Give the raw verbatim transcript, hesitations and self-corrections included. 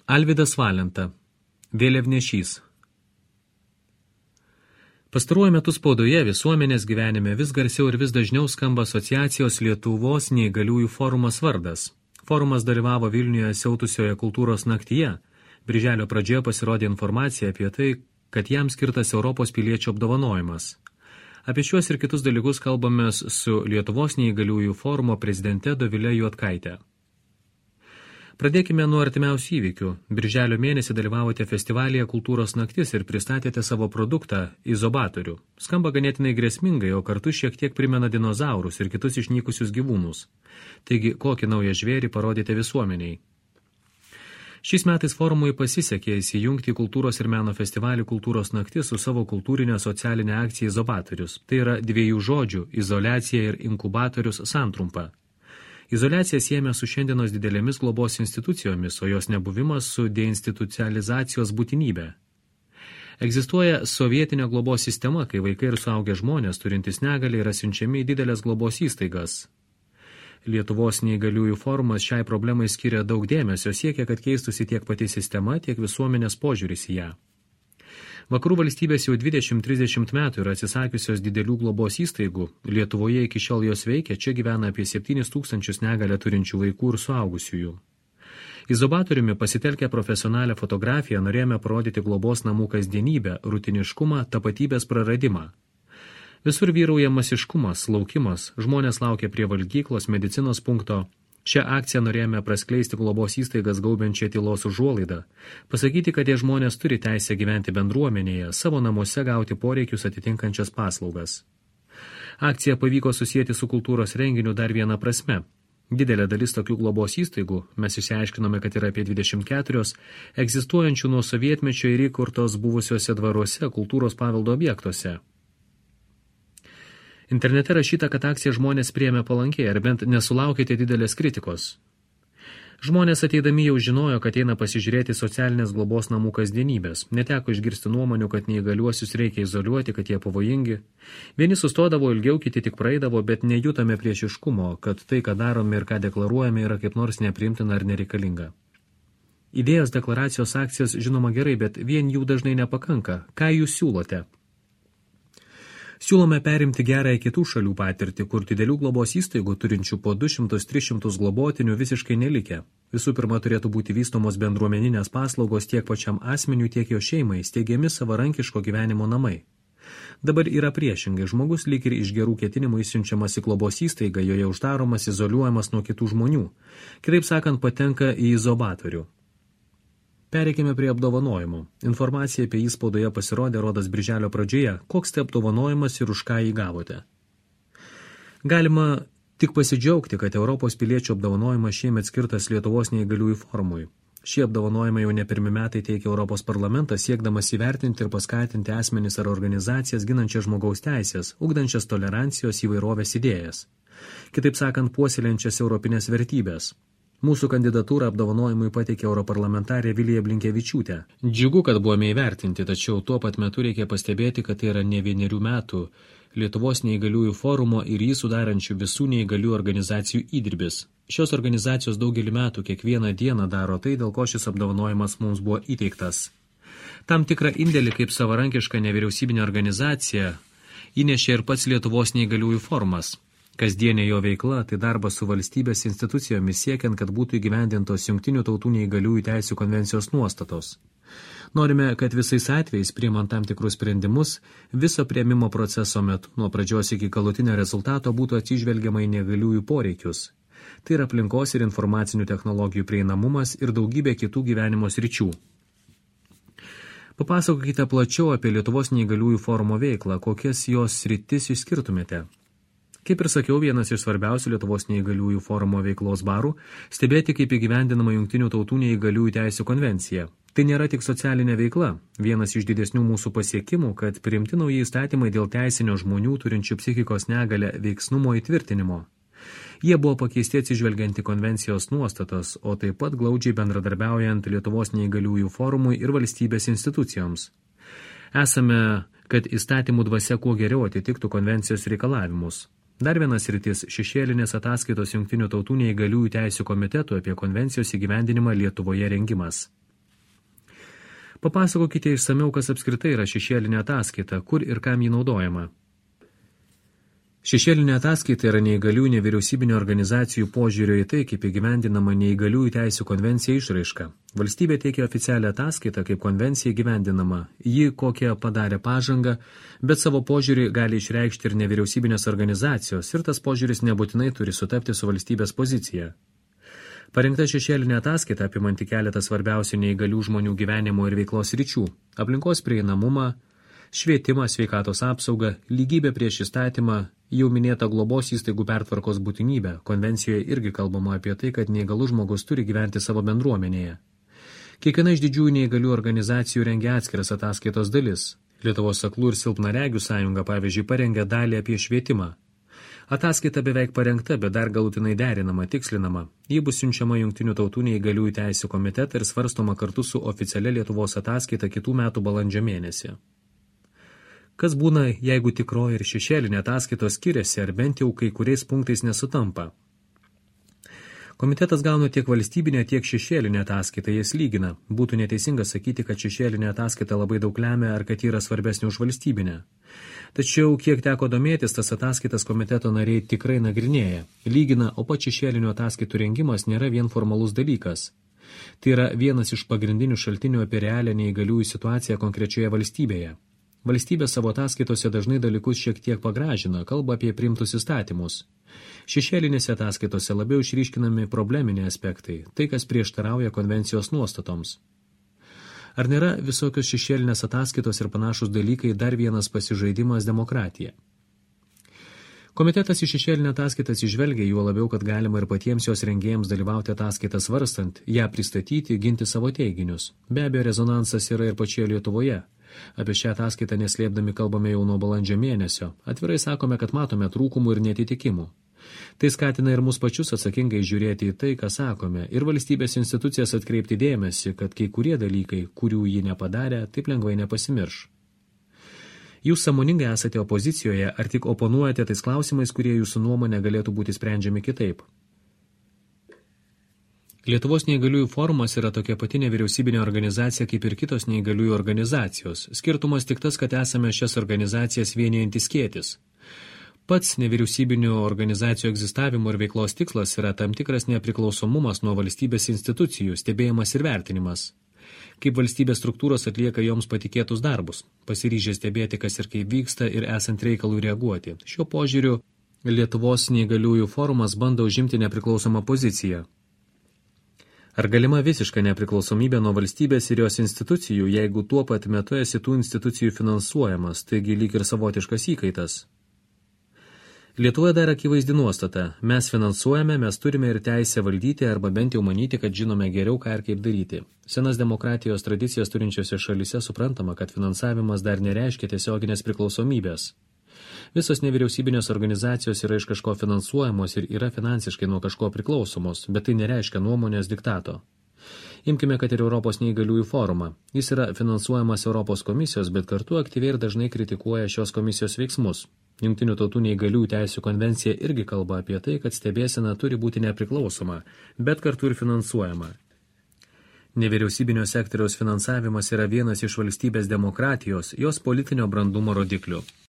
Alvydas Valenta, Vėliavnešys. Pastaruoju metu spaudoje, visuomenės gyvenime vis garsiau ir vis dažniau skamba asociacijos Lietuvos neįgaliųjų forumas vardas. Forumas dalyvavo Vilniuje siautusioje kultūros naktyje. Birželio pradžioje pasirodė informacija apie tai, kad jam skirtas Europos piliečių apdovanojimas. Apie šiuos ir kitus dalykus kalbamės su Lietuvos neįgaliųjų forumo prezidente Dovile Juodkaite. Pradėkime nuo artimiausių įvykių. Birželio mėnesį dalyvavote festivalyje Kultūros naktis ir pristatėte savo produktą Izobatorių. Skamba ganėtinai grėsmingai, o kartu šiek tiek primena dinozaurus ir kitus išnykusius gyvūnus. Taigi, kokį naują žvėrį parodėte visuomeniai? Šiais metais forumui pasisekė įsijungti į kultūros ir meno festivalį Kultūros naktis su savo kultūrinė socialinė akcija Izobatorius. Tai yra dviejų žodžių – izoliacija ir inkubatorius santrumpa. Izoliacija siejame su šiandienos didelėmis globos institucijomis, o jos nebuvimas su deinstitucializacijos būtinybė. Egzistuoja sovietinė globos sistema, kai vaikai ir suaugę žmonės turintys negalią yra siunčiami į didelės globos įstaigas. Lietuvos neįgaliųjų forumas šiai problemai skiria daug dėmesio, siekia, kad keistųsi tiek pati sistema, tiek visuomenės požiūris į ją. Vakarų valstybės jau dvidešimt trisdešimt metų yra atsisakiusios didelių globos įstaigų. Lietuvoje iki šiol jos veikia, čia gyvena apie septynis tūkstančius negalią turinčių vaikų ir suaugusiųjų. Izobatoriumi pasitelkę profesionalią fotografiją norėjome parodyti globos namų kasdienybę, rutiniškumą, tapatybės praradimą. Visur vyrauja masiškumas, laukimas, žmonės laukia prie valgyklos, medicinos punkto. Šią akciją norėjome praskleisti globos įstaigas gaubiančią tylos užuolaidą, pasakyti, kad tie žmonės turi teisę gyventi bendruomenėje, savo namuose gauti poreikius atitinkančias paslaugas. Akcija pavyko susijęti su kultūros renginiu dar vieną prasme. Didelė dalis tokių globos įstaigų, mes išsiaiškinome, kad yra apie dvidešimt keturios, egzistuojančių nuo sovietmečio ir įkurtos buvusiuose dvaruose, kultūros paveldo objektuose. Internete rašyta, kad akciją žmonės priėmė palankiai, ar bent nesulaukėte didelės kritikos. Žmonės ateidami jau žinojo, kad eina pasižiūrėti socialinės globos namų kasdienybės. Neteko išgirsti nuomonių, kad neįgaliuosius reikia izoliuoti, kad jie pavojingi. Vieni sustodavo ilgiau, kiti tik praeidavo, bet nejutame priešiškumo, kad tai, ką darome ir ką deklaruojame, yra kaip nors nepriimtina ar nereikalinga. Idėjos deklaracijos akcijos žinoma gerai, bet vien jų dažnai nepakanka. Ką jūs siūlote? Siūlome perimti gerąją kitų šalių patirtį, kur didelių globos įstaigų turinčių po du šimtus tris šimtus globotinių visiškai nelikę. Visų pirma, turėtų būti vystomos bendruomeninės paslaugos tiek pačiam asmeniui, tiek jo šeimai, steigiami savarankiško gyvenimo namai. Dabar yra priešingai, žmogus lyg ir iš gerų ketinimų išsiunčiamas į globos įstaigą, joje uždaromas, izoliuojamas nuo kitų žmonių. Kitaip sakant, patenka į izobatorių. Pereikime prie apdovanojimo. Informacija apie jį spaudoje pasirodė rodas birželio pradžioje. Koks tai apdovanojimas ir už ką jį gavote? Galima tik pasidžiaugti, kad Europos piliečių apdovanojimas šiemet skirtas Lietuvos neįgaliųjų forumui. Šie apdovanojimai jau ne pirmi metai teikia Europos parlamentas, siekdamas įvertinti ir paskatinti asmenis ar organizacijas ginančias žmogaus teisės, ugdančias tolerancijos įvairovės idėjas. Kitaip sakant, puoselėjančias europinės vertybės. Mūsų kandidatūrą apdovanojimui pateikė europarlamentarė Vilija Blinkevičiūtė. Džiugu, kad buvome įvertinti, tačiau tuo pat metu reikia pastebėti, kad tai yra ne vienerių metų Lietuvos neįgaliųjų forumo ir jį sudarančių visų neįgalių organizacijų įdirbis. Šios organizacijos daugelį metų kiekvieną dieną daro tai, dėl ko šis apdovanojimas mums buvo įteiktas. Tam tikrą indėlį kaip savarankiška nevyriausybinė organizacija įnešė ir pats Lietuvos neįgaliųjų forumas. Kasdienė jo veikla tai darbas su valstybės institucijomis siekiant, kad būtų įgyvendintos Jungtinių tautų neįgaliųjų teisių konvencijos nuostatos. Norime, kad visais atvejais, priimant tam tikrus sprendimus, viso priėmimo proceso metu, nuo pradžios iki galutinio rezultato, būtų atsižvelgiama į neįgaliųjų poreikius. Tai yra aplinkos ir informacinių technologijų prieinamumas ir daugybė kitų gyvenimo sričių. Papasakokite plačiau apie Lietuvos neįgaliųjų forumo veiklą, kokias jos sritis išskirtumėte. Kaip ir sakiau, vienas iš svarbiausių Lietuvos neįgaliųjų forumo veiklos barų – stebėti, kaip įgyvendinama Jungtinių tautų neįgaliųjų teisių konvencija. Tai nėra tik socialinė veikla. Vienas iš didesnių mūsų pasiekimų, kad priimti nauji įstatymai dėl teisinio žmonių turinčių psichikos negalią veiksnumo įtvirtinimo. Jie buvo pakeisti atsižvelgiant į konvencijos nuostatas, o taip pat glaudžiai bendradarbiaujant Lietuvos neįgaliųjų forumui ir valstybės institucijoms. Esame, kad įstatymų dvasia kuo geriau atitiktų konvencijos reikalavimus. Dar vienas sritis – šešėlinės ataskaitos Jungtinių tautų neįgaliųjų teisių komitetų apie konvencijos įgyvendinimą Lietuvoje rengimas. Papasakokite išsamiau, kas apskritai yra šešėlinė ataskaita, kur ir kam ji naudojama. Šešėlinė ataskaita yra neįgaliųjų nevyriausybinio organizacijų požiūrio į tai, kaip įgyvendinama neįgaliųjų teisių konvencija išraiška. Valstybė teikia oficialią ataskaitą, kaip konvencija įgyvendinama. Ji kokią padarė pažangą, bet savo požiūrį gali išreikšti ir nevyriausybinės organizacijos, ir tas požiūris nebūtinai turi sutapti su valstybės pozicija. Parengta šešėlinė ataskaita apimanti keletą svarbiausių neįgalių žmonių gyvenimo ir veiklos ryčių – aplinkos prieinamumą, švietimą, sveikatos apsaugą, lygybę prieš įstatymą, jau minėta globos įstaigų pertvarkos būtinybę. Konvencijoje irgi kalbama apie tai, kad neįgalus žmogus turi gyventi savo bendruomenėje. Kiekviena iš didžiųjų neįgalių organizacijų rengia atskiras ataskaitos dalis. Lietuvos aklų ir silpnaregių sąjunga, pavyzdžiui, parengė dalį apie švietimą. Ataskaita beveik parengta, bet dar galutinai derinama, tikslinama. Ji bus siunčiama Jungtinių tautų neįgaliųjų teisių komitetą ir svarstoma kartu su oficialia Lietuvos ataskaita kitų metų balandžio mėnesį. Kas būna, jeigu tikroji ir šešėlinė ataskaitos skiriasi, ar bent jau kai kuriais punktais nesutampa? Komitetas gauna tiek valstybinę, tiek šešėlinę ataskaitą, jas lygina. Būtų neteisinga sakyti, kad šešėlinė ataskaita labai daug lemia, ar kad yra svarbesnė už valstybinę. Tačiau, kiek teko domėtis, tas ataskaitas komiteto nariai tikrai nagrinėja. Lygina, o pats šešėlinių ataskaitų rengimas nėra vien formalus dalykas. Tai yra vienas iš pagrindinių šaltinių apie realią neįgaliųjų situaciją konkrečioje valstybėje. Valstybė savo ataskaitose dažnai dalykus šiek tiek pagražina, kalba apie priimtus įstatymus. Šešėlinėse ataskaitose labiau išryškinami probleminiai aspektai, tai kas prieštarauja konvencijos nuostatoms. Ar nėra visokios šešėlinės ataskaitos ir panašus dalykai dar vienas pasižaidimas demokratija? Komitetas į šešėlinę ataskaitas išvelgia, juo labiau, kad galima ir patiems jos rengėjams dalyvauti ataskaitą svarstant, ją pristatyti, ginti savo teiginius. Be abejo, rezonansas yra ir pačioje Lietuvoje. Apie šią ataskaitą neslėpdami kalbame jau nuo balandžio mėnesio. Atvirai sakome, kad matome trūkumų ir netitikimų. Tai skatina ir mus pačius atsakingai žiūrėti į tai, ką sakome, ir valstybės institucijas atkreipti dėmesį, kad kai kurie dalykai, kurių ji nepadarė, taip lengvai nepasimirš. Jūs sąmoningai esate opozicijoje, ar tik oponuojate tais klausimais, kurie jūsų nuomonė galėtų būti sprendžiami kitaip? Lietuvos neįgaliųjų forumas yra tokia pati nevyriausybinė organizacija kaip ir kitos neįgaliųjų organizacijos. Skirtumas tik tas, kad esame šias organizacijas vienijantis skėtis. Pats nevyriausybinių organizacijų egzistavimo ir veiklos tikslas yra tam tikras nepriklausomumas nuo valstybės institucijų, stebėjimas ir vertinimas. Kaip valstybės struktūros atlieka joms patikėtus darbus, pasiryžę stebėti, kas ir kaip vyksta ir esant reikalų reaguoti. Šiuo požiūriu Lietuvos neįgaliųjų forumas bando užimti nepriklausomą poziciją. Ar galima visiška nepriklausomybė nuo valstybės ir jos institucijų, jeigu tuo pat metu esi tų institucijų finansuojamas, taigi lyg ir savotiškas įkaitas? Lietuvoje dar akivaizdi nuostata. Mes finansuojame, mes turime ir teisę valdyti arba bent jau manyti, kad žinome geriau, ką ir kaip daryti. Senas demokratijos tradicijas turinčiose šalyse suprantama, kad finansavimas dar nereiškia tiesioginės priklausomybės. Visos nevyriausybinės organizacijos yra iš kažko finansuojamos ir yra finansiškai nuo kažko priklausomos, bet tai nereiškia nuomonės diktato. Imkime, kad ir Europos neįgaliųjų forumą. Jis yra finansuojamas Europos komisijos, bet kartu aktyviai ir dažnai kritikuoja šios komisijos veiksmus. Jungtinių tautų neįgaliųjų teisių konvencija irgi kalba apie tai, kad stebėsena turi būti nepriklausoma, bet kartu ir finansuojama. Nevyriausybinio sektoriaus finansavimas yra vienas iš valstybės demokratijos, jos politinio brandumo rodiklių.